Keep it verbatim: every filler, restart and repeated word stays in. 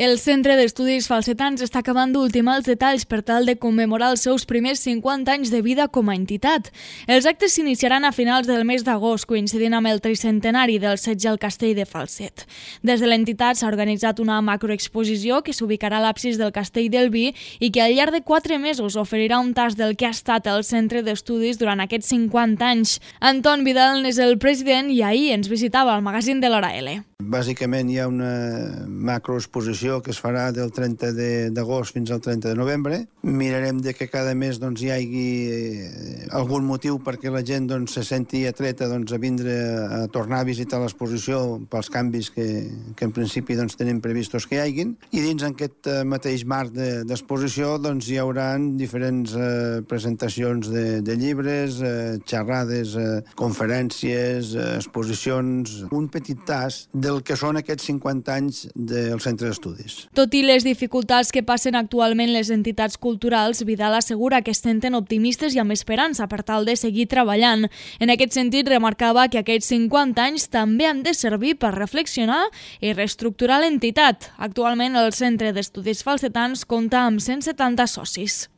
El Centre d'Estudis Falsetans està acabant d'ultimar els detalls per tal de commemorar els seus primers cinquanta anys de vida com a entitat. Els actes s'iniciaran a finals del mes d'agost, coincidint amb el tricentenari del setge al castell de Falset. Des de l'entitat s'ha organitzat una macroexposició que s'ubicarà a l'absis del castell del Vi i que al llarg de quatre mesos oferirà un tast del que ha estat el Centre d'Estudis durant aquests cinquanta anys. Anton Vidal n'és el president i ahir ens visitava al magazín de l'Hora L. Bàsicament hi ha una macroexposició que es farà del trenta d'agost fins al trenta de novembre. Mirarem de que cada mes doncs, hi hagi algun motiu perquè la gent doncs, se senti atreta doncs, a vindre a tornar a visitar l'exposició pels canvis que, que en principi doncs, tenim previstos que hi hagin. I dins aquest mateix marc d'exposició de, doncs, hi haurà diferents eh, presentacions de, de llibres, eh, xerrades, eh, conferències, eh, exposicions, un petit tas del que són aquests cinquanta anys del Centre d'Estudis. Tot i les dificultats que passen actualment les entitats culturals, Vidal assegura que es senten optimistes i amb esperança per tal de seguir treballant. En aquest sentit, remarcava que aquests cinquanta anys també han de servir per reflexionar i reestructurar l'entitat. Actualment, el Centre d'Estudis Falsetans compta amb cent setanta socis.